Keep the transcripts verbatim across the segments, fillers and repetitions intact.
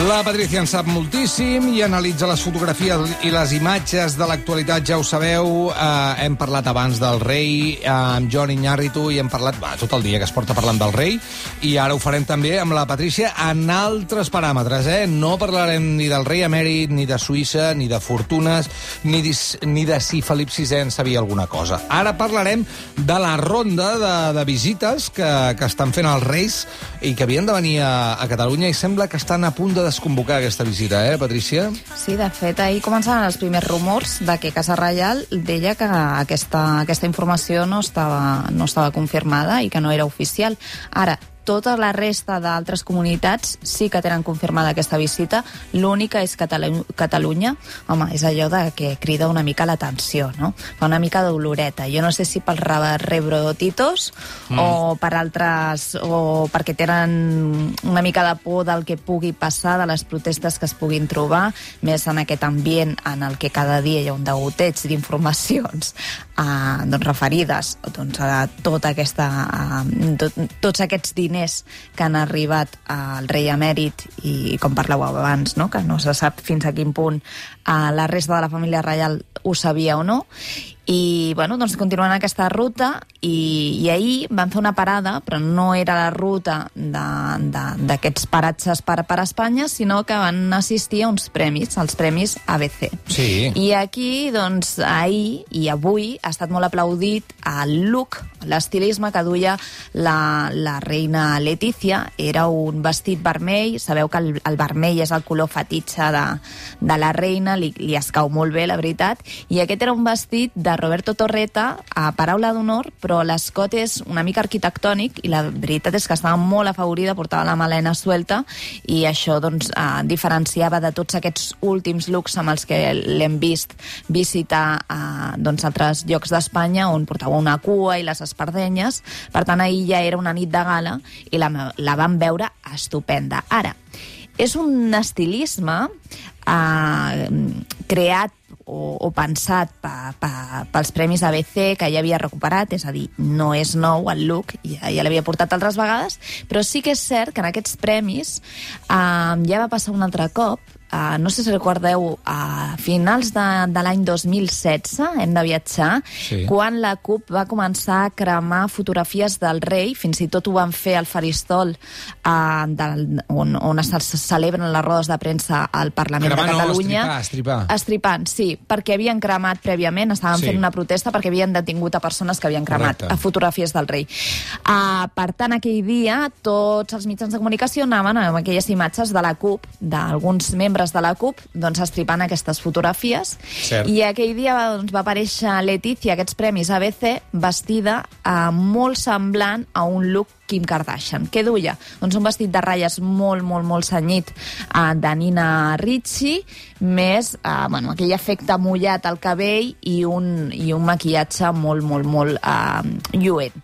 La Patrícia en sap moltíssim i analitza les fotografies i les imatges de l'actualitat, ja ho sabeu. Eh, hem parlat abans del rei eh, amb Jon Iñárritu i hem parlat bah, tot el dia que es porta parlant del rei, i ara ho farem també amb la Patrícia en altres paràmetres. Eh? No parlarem ni del rei emèrit, ni de Suïssa, ni de fortunes, ni, dis, ni de si Felip sisè en sabia alguna cosa. Ara parlarem de la ronda de, de visites que, que estan fent els reis i que havien de venir a, a Catalunya, i sembla que estan a punt de desconvocar aquesta visita, eh, Patrícia? Sí, de fet, ahir començaven els primers rumors de que Casa Reial deia que aquesta, aquesta informació no estava, no estava confirmada i que no era oficial. Ara, tota la resta d'altres comunitats sí que tenen confirmada aquesta visita. L'única és Catalu Catalunya. Home, és allò de que crida una mica l'atenció, no? Fa una mica d'oloreta. Jo no sé si pels rebrotitos mm. o per altres, o perquè tenen una mica de por del que pugui passar, de les protestes que es puguin trobar, més en aquest ambient en el que cada dia hi ha un degoteig d'informacions eh, doncs referides doncs, a tota aquesta, eh, tot, tots aquests diners que han arribat al rei emèrit, i com parlàveu abans, no? Que no se sap fins a quin punt eh, la resta de la família reial ho sabia o no. I, bueno, doncs continuant aquesta ruta, i, i ahir van fer una parada, però no era la ruta d'aquests paratges per, per Espanya, sinó que van assistir a uns premis, els premis A B C. Sí. I aquí, doncs, ahir i avui ha estat molt aplaudit el look, l'estilisme que duia la, la reina Letícia. Era un vestit vermell, sabeu que el, el vermell és el color fetitxe de, de la reina, li, li escau molt bé, la veritat, i aquest era un vestit de Roberto Torreta, a paraula d'honor, però l'escot és una mica arquitectònic i la veritat és que estava molt afavorida, portava la melena suelta, i això doncs eh, diferenciava de tots aquests últims looks amb els que l'hem vist visitar eh, doncs altres llocs d'Espanya on portava una cua i les espardenyes. Per tant, ahir ja era una nit de gala i la, la vam veure estupenda. Ara, és un estilisme eh, creat o, o pensat pa, pa, pels premis A B C, que ja havia recuperat, és a dir, no és nou el look, ja, ja l'havia portat altres vegades, però sí que és cert que en aquests premis eh, ja va passar un altre cop. Uh, no sé si recordeu, a finals de, de l'any dos mil setze, hem de viatjar, sí. Quan la CUP va començar a cremar fotografies del rei, fins i tot ho van fer al faristol uh, del, on, on es celebren les rodes de premsa al Parlament Cremar, de Catalunya. No, estripar, estripar. Estripant, sí, perquè havien cremat prèviament, estaven sí. fent una protesta perquè havien detingut a persones que havien cremat Correcte. fotografies del rei. Uh, per tant, aquell dia, tots els mitjans de comunicació anaven amb aquelles imatges de la CUP, d'alguns membres de la CUP, doncs estripant aquestes fotografies. Cert. I aquell dia doncs, va aparèixer Letícia, aquests premis A B C, vestida eh, molt semblant a un look Kim Kardashian. Què duia? Doncs un vestit de ratlles molt, molt, molt cenyit eh, de Nina Ricci, més eh, bueno, aquell efecte mullat al cabell i un, i un maquillatge molt, molt, molt eh, lluent.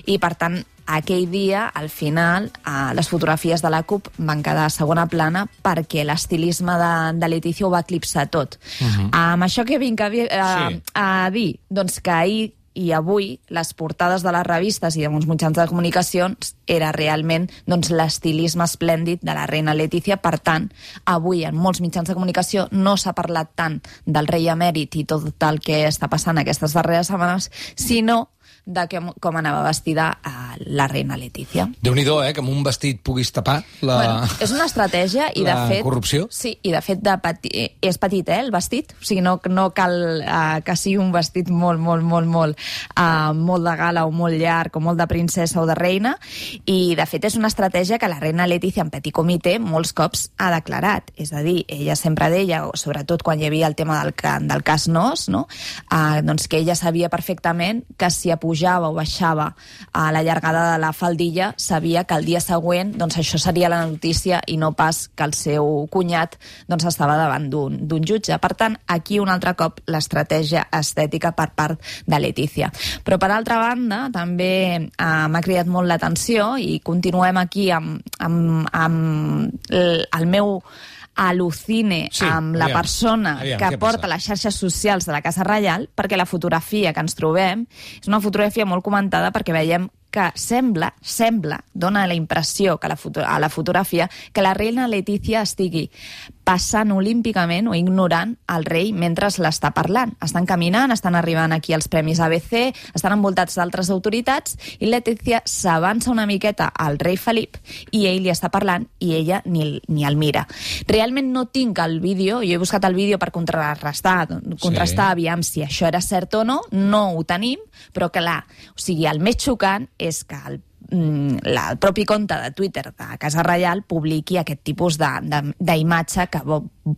I, per tant, aquell dia, al final, eh, les fotografies de la CUP van quedar a segona plana perquè l'estilisme de, de Letícia ho va eclipsar tot. Uh -huh. Amb això que vinc a, eh, sí. a dir, doncs que ahir i avui les portades de les revistes i de molts mitjans de comunicacions era realment doncs, l'estilisme esplèndid de la reina Letícia. Per tant, avui en molts mitjans de comunicació no s'ha parlat tant del rei emèrit i tot el que està passant aquestes darreres setmanes, sinó de que, com anava vestida a la reina Letícia. Déu-n'hi-do, eh, que amb un vestit puguis tapar la... Bueno, és una estratègia i, de fet... corrupció. Sí, i de fet de peti... és petit, eh, el vestit. O sigui, no, no cal uh, que sigui un vestit molt, molt, molt, molt, uh, molt de gala o molt llarg o molt de princesa o de reina. I, de fet, és una estratègia que la reina Letícia en petit comitè molts cops ha declarat. És a dir, ella sempre deia, sobretot quan hi havia el tema del, del cas Nos, no? uh, doncs que ella sabia perfectament que si pujava o baixava a la llargada de la faldilla, sabia que el dia següent doncs, això seria la notícia i no pas que el seu cunyat doncs, estava davant d'un jutge. Per tant, aquí un altre cop l'estratègia estètica per part de Letícia. Però per altra banda, també eh, m'ha cridat molt l'atenció i continuem aquí amb, amb, amb el, el meu al·lucine sí, amb la aviam, persona aviam, que porta les xarxes socials de la Casa Reial, perquè la fotografia que ens trobem és una fotografia molt comentada perquè veiem que sembla, sembla, dona la impressió que la a la fotografia que la reina Letícia estigui passant olímpicament o ignorant el rei mentre l'està parlant. Estan caminant, estan arribant aquí als Premis A B C, estan envoltats d'altres autoritats i Letícia s'avança una miqueta al rei Felip i ell li està parlant i ella ni, ni el mira. Realment no tinc el vídeo, jo he buscat el vídeo per contrarrestar, contrastar, sí. aviam si això era cert o no, no ho tenim, però clar, o sigui, el més xocant és que el La, el propi compte de Twitter de Casa Reial publiqui aquest tipus d'imatge que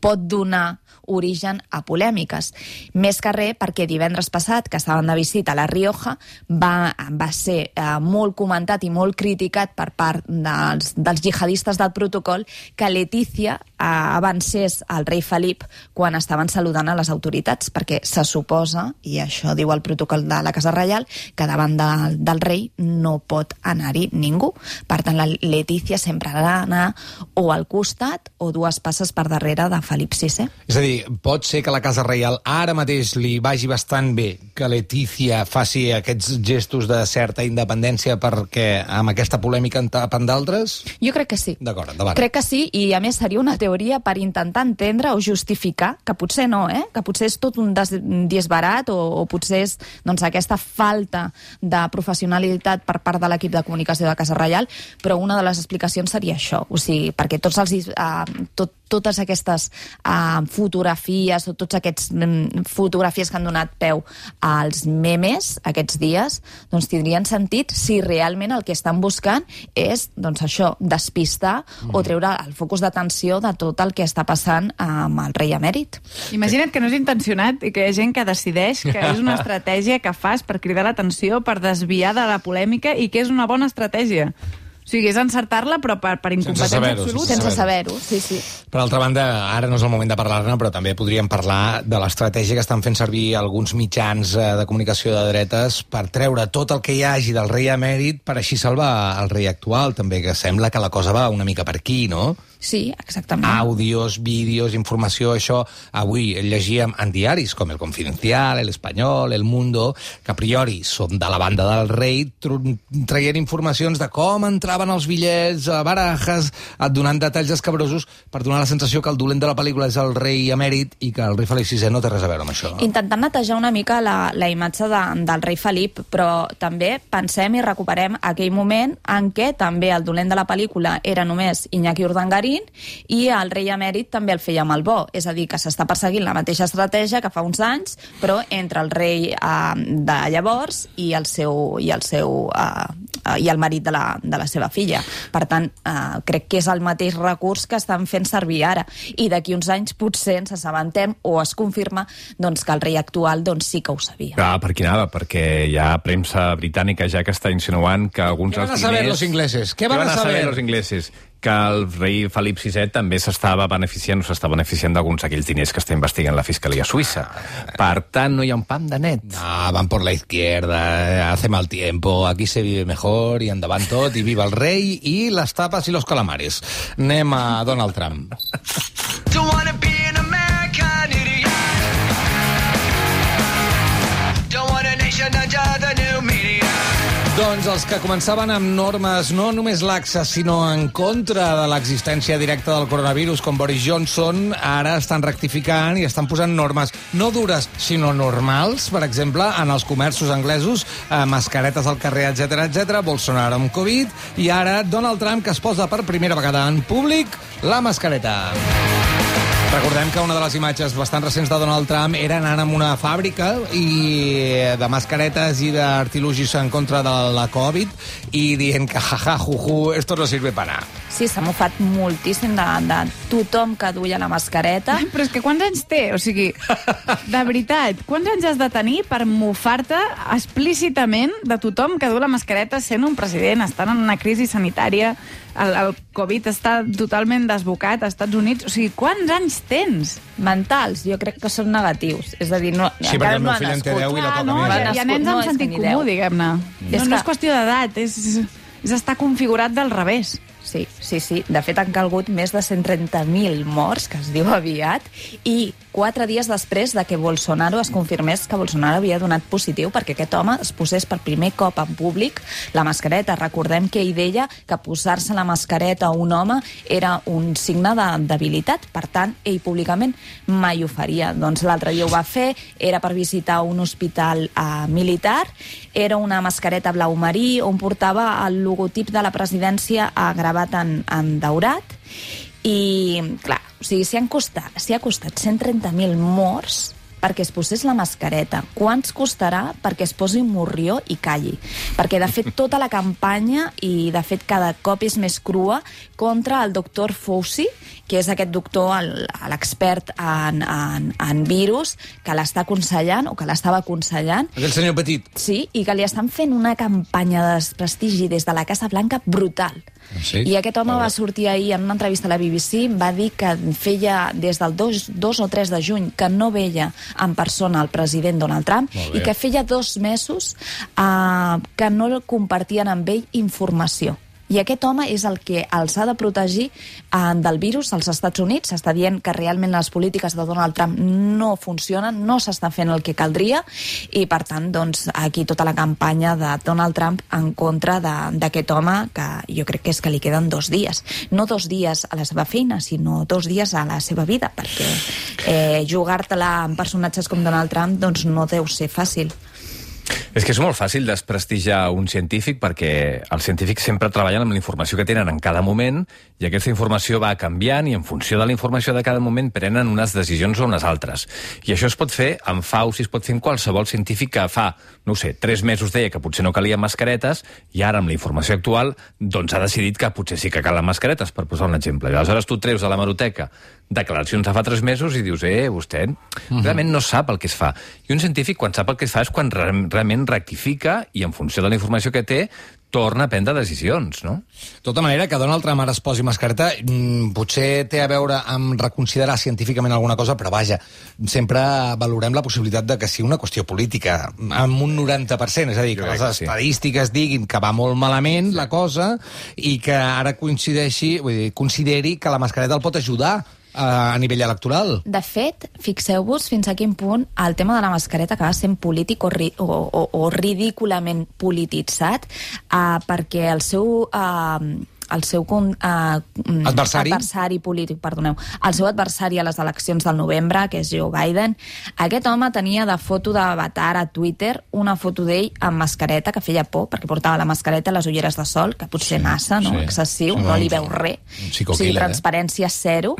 pot donar origen a polèmiques. Més que res perquè divendres passat, que estaven de visita a La Rioja, va, va ser eh, molt comentat i molt criticat per part dels, dels jihadistes del protocol que Letícia eh, avancés al rei Felip quan estaven saludant a les autoritats, perquè se suposa, i això diu el protocol de la Casa Reial, que davant de, del rei no pot anar-hi ningú. Per tant, la Letícia sempre ha d'anar o al costat o dues passes per darrere de Felip sisè. És a dir, pot ser que la Casa Reial ara mateix li vagi bastant bé que Letícia faci aquests gestos de certa independència perquè amb aquesta polèmica en tapen d'altres? Jo crec que sí. D'acord, endavant. Crec que sí, i a més seria una teoria per intentar entendre o justificar, que potser no, eh? que potser és tot un disbarat o, o potser és doncs, aquesta falta de professionalitat per part de l'equip de comunicació de Casa Reial, però una de les explicacions seria això, o sigui, perquè tots els, uh, tot, totes aquestes uh, fotografies o tots aquests um, fotografies que han donat peu als memes aquests dies, doncs tindrien sentit si realment el que estan buscant és, doncs això, despistar mm. o treure el focus d'atenció de tot el que està passant amb el rei emèrit. Imagina't que no és intencionat i que hi ha gent que decideix que és una estratègia que fas per cridar l'atenció, per desviar de la polèmica i que és una bona estratègia. O sigui, és encertar-la, però per, per incompetència absoluta. Sense saber-ho, sí, sí. Per altra banda, ara no és el moment de parlar-ne, però també podríem parlar de l'estratègia que estan fent servir alguns mitjans de comunicació de dretes per treure tot el que hi hagi del rei emèrit per així salvar el rei actual, també, que sembla que la cosa va una mica per aquí, no? Sí, exactament. Àudios, vídeos, informació, això avui llegíem en diaris com El Confidencial, El Espanyol, El Mundo, que a priori són de la banda del rei, traient informacions de com entraven els bitllets, a barajes, donant detalls escabrosos per donar la sensació que el dolent de la pel·lícula és el rei emèrit i que el rei Felip sisè no té res a veure amb això. Intentant netejar una mica la, la imatge de, del rei Felip, però també pensem i recuperem aquell moment en què també el dolent de la pel·lícula era només Iñaki Urdangarín i el rei emèrit també el feia amb el bo, és a dir, que s'està perseguint la mateixa estratègia que fa uns anys, però entre el rei eh, de llavors i el seu i el seu eh, i el marit de la, de la seva filla. Per tant, eh, crec que és el mateix recurs que estan fent servir ara, i d'aquí uns anys potser ens assabentem o es confirma doncs, que el rei actual doncs, sí que ho sabia. Ah, per qui anava? Perquè hi ha premsa britànica ja que està insinuant que alguns dels diners... Què van a saber los ingleses? Què van a saber los ingleses? Que el rei Felip sisè també s'estava beneficiant o s'està beneficiant d'alguns d'aquells diners que està investigant la Fiscalia Suïssa. Per tant, no hi ha un pam de net. No, van por la izquierda, hace mal tiempo, aquí se vive mejor, i endavant tot, i viva el rei, i les tapes i los calamares. Anem a Donald Trump. Don't wanna be an American idiot. Don't want a nation under the new media. Doncs els que començaven amb normes no només laxes, sinó en contra de l'existència directa del coronavirus, com Boris Johnson, ara estan rectificant i estan posant normes no dures, sinó normals, per exemple, en els comerços anglesos, eh, mascaretes al carrer, etcètera, etcètera, Bolsonaro amb Covid, i ara Donald Trump, que es posa per primera vegada en públic la mascareta. Recordem que una de les imatges bastant recents de Donald Trump era anant a una fàbrica i de mascaretes i d'artilugis en contra de la Covid i dient que jaja, juju, esto no sirve para nada. Sí, s'ha mofat moltíssim de, de tothom que duia la mascareta. Però és que quants anys té? O sigui, de veritat, quants anys has de tenir per mofar-te explícitament de tothom que du la mascareta sent un president, estant en una crisi sanitària, el, el Covid està totalment desbocat als Estats Units? O sigui, quants anys tens? Mentals, jo crec que són negatius. És a dir, no, sí, perquè el meu fill en té deu i la toca no, més. Hi ha, hi ha nens amb sentit comú, diguem-ne. No, no és qüestió d'edat, és, és estar configurat del revés. Sí, sí, sí. De fet, han calgut més de cent trenta mil morts, que es diu aviat, i quatre dies després de que Bolsonaro es confirmés que Bolsonaro havia donat positiu perquè aquest home es posés per primer cop en públic la mascareta. Recordem que ell deia que posar-se la mascareta a un home era un signe de debilitat, per tant, ell públicament mai ho faria. Doncs l'altre dia ho va fer, era per visitar un hospital eh, militar, era una mascareta blau marí on portava el logotip de la presidència eh, gravat en, en daurat, i, clar, o sigui, s'hi han costat, s'hi ha costat cent trenta mil morts perquè es posés la mascareta. Quants costarà perquè es posi un morrió i calli? Perquè, de fet, tota la campanya, i, de fet, cada cop és més crua, contra el doctor Fauci, que és aquest doctor, l'expert en, en, en virus, que l'està aconsellant, o que l'estava aconsellant. Aquell senyor petit. Sí, i que li estan fent una campanya de desprestigi des de la Casa Blanca brutal. Sí? I aquest home va sortir ahir en una entrevista a la B B C, va dir que feia des del dos o tres de juny que no veia en persona el president Donald Trump i que feia dos mesos eh, que no compartien amb ell informació. I aquest home és el que els ha de protegir eh, del virus als Estats Units. S'està dient que realment les polítiques de Donald Trump no funcionen, no s'està fent el que caldria, i per tant, doncs, aquí tota la campanya de Donald Trump en contra d'aquest home, que jo crec que és que li queden dos dies. No dos dies a la seva feina, sinó dos dies a la seva vida, perquè eh, jugar-te-la amb personatges com Donald Trump doncs no deu ser fàcil. És que és molt fàcil desprestigiar un científic perquè els científics sempre treballen amb la informació que tenen en cada moment i aquesta informació va canviant i en funció de la informació de cada moment prenen unes decisions o unes altres. I això es pot fer amb Fauci, es pot fer amb qualsevol científic que fa, no ho sé, tres mesos deia que potser no calien mascaretes i ara amb la informació actual doncs ha decidit que potser sí que calen mascaretes, per posar un exemple. I aleshores tu treus de la hemeroteca declaracions de fa tres mesos i dius, eh, vostè realment no sap el que es fa. I un científic quan sap el que es fa és quan realment rectifica i en funció de la informació que té torna a prendre decisions, no? De tota manera, que Donald Trump ara es posi mascareta mmm, potser té a veure amb reconsiderar científicament alguna cosa, però vaja, sempre valorem la possibilitat de que sigui una qüestió política, amb un noranta per cent, és a dir, que les estadístiques diguin que va molt malament la cosa i que ara coincideixi, vull dir, consideri que la mascareta el pot ajudar a nivell electoral. De fet, fixeu-vos fins a quin punt el tema de la mascareta acaba sent polític o, ri o, o, o ridículament polititzat, uh, perquè el seu... Uh, el seu uh, adversari? adversari polític, perdoneu, el seu adversari a les eleccions del novembre, que és Joe Biden, aquest home tenia de foto d'avatar a Twitter una foto d'ell amb mascareta, que feia por, perquè portava la mascareta i les ulleres de sol, que potser sí, massa, no? Sí. Excessiu, no, no li veu res. O sigui, transparència zero.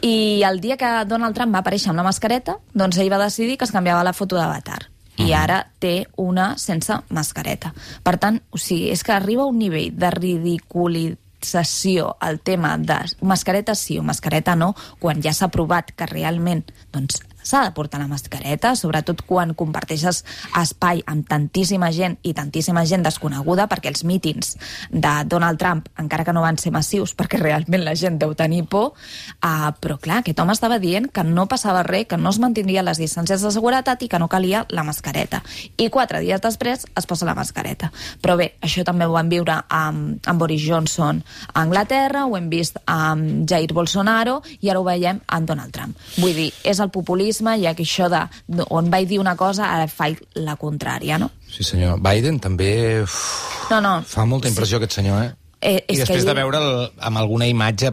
I el dia que Donald Trump va aparèixer amb la mascareta, doncs ell va decidir que es canviava la foto d'avatar. I ara té una sense mascareta. Per tant, o sigui, és que arriba a un nivell de ridiculització el tema de mascareta sí o mascareta no, quan ja s'ha provat que realment doncs, s'ha de portar la mascareta, sobretot quan comparteixes espai amb tantíssima gent i tantíssima gent desconeguda, perquè els mítings de Donald Trump, encara que no van ser massius, perquè realment la gent deu tenir por, uh, però clar, aquest home estava dient que no passava res, que no es mantindrien les distàncies de seguretat i que no calia la mascareta. I quatre dies després es posa la mascareta. Però bé, això també ho vam viure amb, amb Boris Johnson a Anglaterra, ho hem vist amb Jair Bolsonaro i ara ho veiem amb Donald Trump. Vull dir, és el populisme i aquí això de on vaig dir una cosa ara faig la contrària, no? Sí, senyor. Biden també uf, no, no. fa molta impressió sí. aquest senyor, eh? Eh, I després de veure'l amb alguna imatge,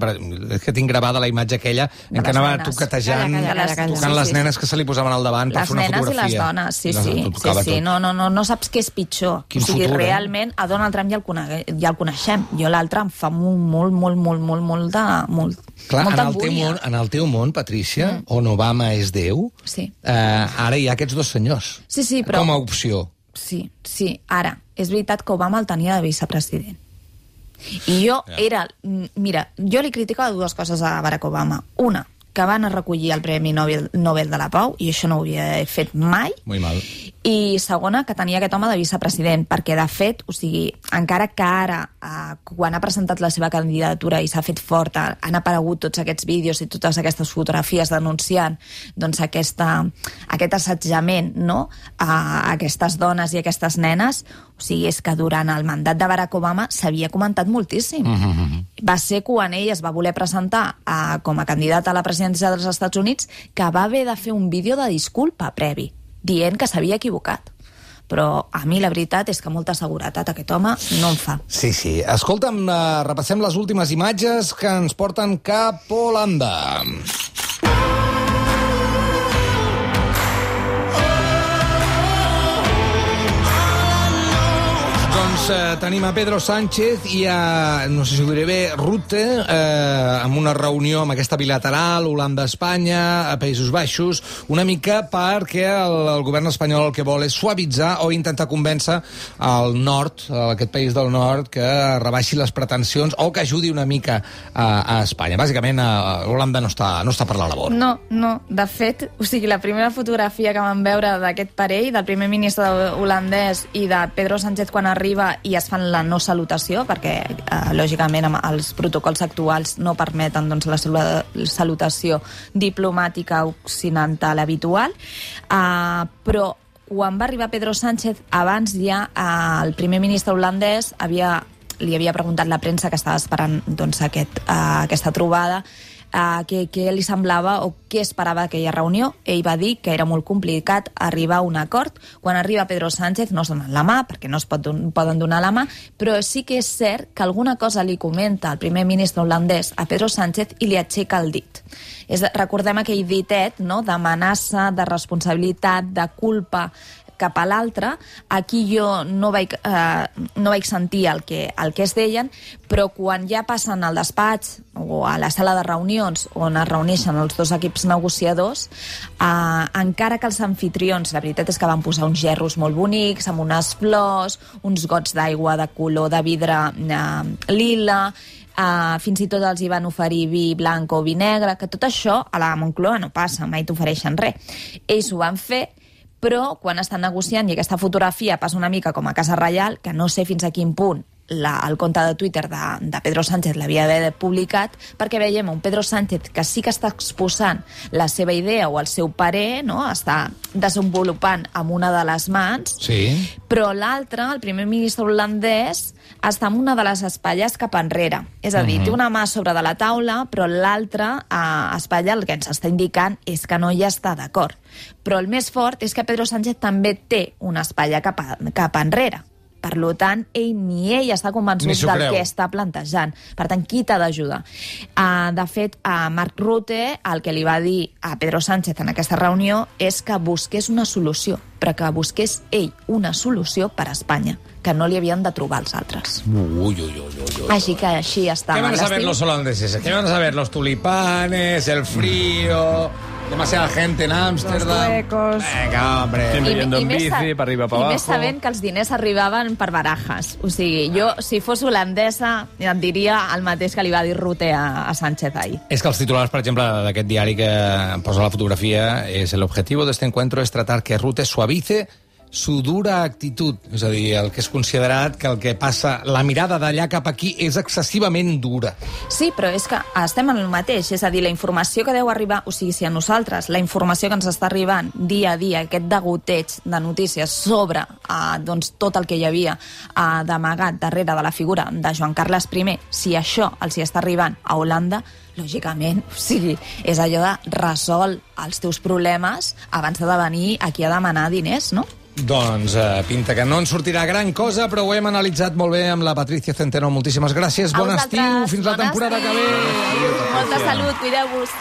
és que tinc gravada la imatge aquella en què anava toquetejant, calla, calla, calla, tocant sí, les nenes sí. que se li posaven al davant per fer una fotografia. Les nenes i les dones, sí, sí. sí, sí. No, no, no, no saps què és pitjor. Quin o sigui, futur, realment, a Donald Trump ja el, cone ja el coneixem. Jo l'altre em fa molt, molt, molt, molt, molt, molt de... Molt, Clar, en el, teu món, en el teu món, Patrícia, mm. on Obama és Déu, sí. eh, ara hi ha aquests dos senyors. Sí, sí, però... Com a opció. Sí, sí. Ara, és veritat que Obama el tenia de vicepresident. I jo era... Mira, jo li criticava dues coses a Barack Obama. Una, que van a recollir el Premi Nobel, Nobel de la Pau, i això no ho havia fet mai. Muy mal. I segona, que tenia aquest home de vicepresident, perquè de fet, o sigui, encara que ara, eh, quan ha presentat la seva candidatura i s'ha fet forta, han aparegut tots aquests vídeos i totes aquestes fotografies denunciant doncs, aquesta, aquest assetjament, no?, a aquestes dones i aquestes nenes, o sigui, és que durant el mandat de Barack Obama s'havia comentat moltíssim. Mm-hmm. Va ser quan ell es va voler presentar a, com a candidat a la presidència dels Estats Units que va haver de fer un vídeo de disculpa previ, dient que s'havia equivocat. Però a mi la veritat és que molta seguretat aquest home no en fa. Sí, sí. Escolta'm, uh, repassem les últimes imatges que ens porten cap a Holanda. Doncs eh, tenim a Pedro Sánchez i a, no sé si ho diré bé, Rutte, eh, amb una reunió amb aquesta bilateral, Holanda-Espanya, a Països Baixos, una mica perquè el, el govern espanyol el que vol és suavitzar o intentar convèncer al nord, a aquest país del nord, que rebaixi les pretensions o que ajudi una mica a, a Espanya. Bàsicament, a, a Holanda no està, no està per la labor. No, no. De fet, o sigui, la primera fotografia que vam veure d'aquest parell, del primer ministre holandès i de Pedro Sánchez quan arriba i es fan la no salutació, perquè, eh, lògicament, amb els protocols actuals no permeten doncs, la salutació diplomàtica occidental habitual, eh, però quan va arribar Pedro Sánchez, abans ja eh, el primer ministre holandès havia, li havia preguntat la premsa que estava esperant doncs, aquest, eh, aquesta trobada, Uh, què, què li semblava o què esperava d'aquella reunió. Ell va dir que era molt complicat arribar a un acord. Quan arriba Pedro Sánchez no es donen la mà, perquè no es pot don- poden donar la mà, però sí que és cert que alguna cosa li comenta el primer ministre holandès a Pedro Sánchez i li aixeca el dit. És, recordem aquell ditet, no?, d'amenaça, de responsabilitat, de culpa cap a l'altre. Aquí jo no vaig, eh, no vaig sentir el que, el que es deien, però quan ja passen al despatx o a la sala de reunions on es reuneixen els dos equips negociadors, eh, encara que els anfitrions, la veritat és que van posar uns gerros molt bonics, amb unes flors, uns gots d'aigua de color de vidre eh, lila, Uh, fins i tot els hi van oferir vi blanc o vi negre, que tot això a la Moncloa no passa, mai t'ofereixen res. Ells ho van fer, però quan estan negociant i aquesta fotografia passa una mica com a Casa Reial, que no sé fins a quin punt la, el compte de Twitter de, de Pedro Sánchez l'havia d'haver publicat, perquè veiem un Pedro Sánchez que sí que està exposant la seva idea o el seu parer, no?, està desenvolupant amb una de les mans, sí, però l'altre, el primer ministre holandès, està amb una de les espatlles cap enrere. És a dir, uh-huh. té una mà sobre de la taula, però l'altra eh, espatlla el que ens està indicant és que no hi està d'acord. Però el més fort és que Pedro Sánchez també té una espatlla cap, a, cap enrere. Per tant, ell ni ell està convençut del creu. que està plantejant. Per tant, qui t'ha d'ajudar? Uh, de fet, uh, Mark Rutte, el que li va dir a Pedro Sánchez en aquesta reunió és que busqués una solució, però que busqués ell una solució per a Espanya, que no li havien de trobar els altres. Uy, uy, uy, uy, uy. Així que així està. ¿Qué van a saber los holandeses? ¿Qué van a saber los tulipanes, el frío, demasiada gente en Ámsterdam? Los suecos. Venga, hombre. Sempre yendo en més bici, sa- per arriba, per I abajo. més sabent que els diners arribaven per barajes. O sigui, jo, si fos holandesa, em diria el mateix que li va dir Rutte a, a Sánchez ahir. És que els titulars, per exemple, d'aquest diari que posa la fotografia és el objetivo de este encuentro es tratar que Rutte suavice su dura actitud. És a dir, el que és considerat que el que passa, la mirada d'allà cap aquí és excessivament dura. Sí, però és que estem en el mateix. És a dir, la informació que deu arribar, o sigui, si a nosaltres la informació que ens està arribant dia a dia, aquest degoteig de notícies sobre eh, doncs, tot el que hi havia eh, d'amagat darrere de la figura de Joan Carles I, si això els hi està arribant a Holanda, lògicament, o sigui, és allò de resol els teus problemes abans de venir aquí a demanar diners, no? Doncs eh, pinta que no en sortirà gran cosa, però ho hem analitzat molt bé amb la Patricia Centeno. Moltíssimes gràcies, A bon vosaltres, estiu, fins la bon temporada estiu. que ve. Molta salut, cuideu-vos.